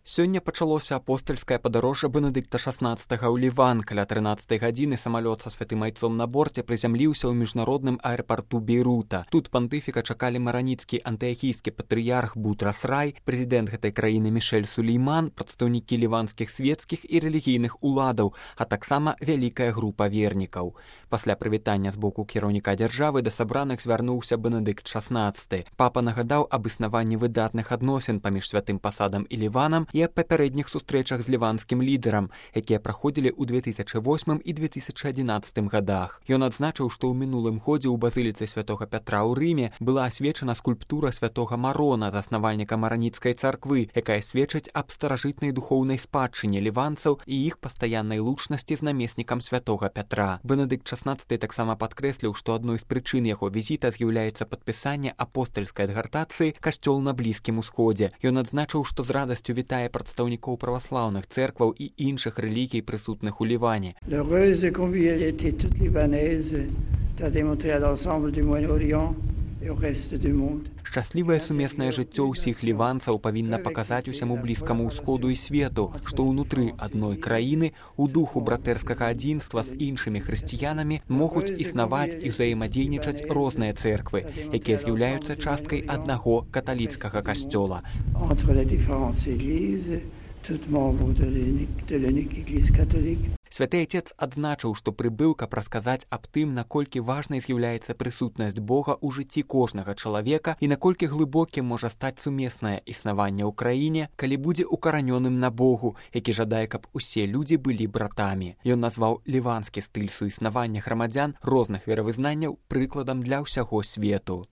Сёння пачалося апостальскае падарожжа Бенедыкта XVI ў Ліван. Каля 13 гадзіны самалёт са святым айцом на борце прызямліўся ў міжнародным аэрапарту Бейрута. Тут пантыфіка чакалі мараніцкі антыахійскі патрыярх Бутрас Рай, прэзідэнт гэтай краіны Мішэль Сулейман, прадстаўнікі ліванскіх свецкіх і рэлігійных уладаў, а таксама вялікая група вернікаў. Пасля прывітання з боку кіраўніка дзяржавы да сабраных звярнуўся Бенедыкт XVI. Папа нагадаў аб існаванні выдатных адносін паміж святым пасадам і Ліванам і аб папярэдніх сустрэчах з ліванскім лідарам, якія праходзілі ў 2008 і 2011 годах. Ён адзначыў, што ў мінулым годзе ў базыліцы святога Пятра ў Рыме была асвечана скульптура святога Марона, заснавальніка мараніцкай царквы, якая сведчыць аб старажытнай духоўнай спадчыне ліванцаў і іх пастаяннай лучнасці з намеснікам святога Пятра. Бенедыкт XVI таксама падкрэсліў, што адной з прычын яго візіта з'яўляецца падпісанне апостальскай адгартацыі «Касцёл на Блізкім Усходзе». Ён адзначыў, што з радасцю вітае прадстаўнікоў праваслаўных цэркваў і іншых рэлігій, прысутных у Ліване. L'heureuse convivialité toute libanaise a démontré à l'ensemble du Moyen-Orient et au reste du monde. Шчаслівае сумеснае жыццё ўсіх ліванцаў павінна паказаць усяму блізкаму ўсходу і свету, што ўнутры адной краіны у духу братэрскага адзінства з іншымі хрысціянамі могуць існаваць і ўзаемадзейнічаць розныя цэрквы, якія з'яўляюцца часткай аднаго каталіцкага касцёла. Святы Айцец адзначыў, што прыбыў, каб расказаць аб тым, наколькі важнай з'яўляецца прысутнасць Бога ў жыцці кожнага чалавека і наколькі глыбокім можа стаць сумеснае існаванне ў краіне, калі будзе укаранёным на Богу, які жадае, каб усе людзі былі братамі. Ён назваў ліванскі стыль суіснавання грамадзян розных веравызнанняў прыкладам для ўсяго свету.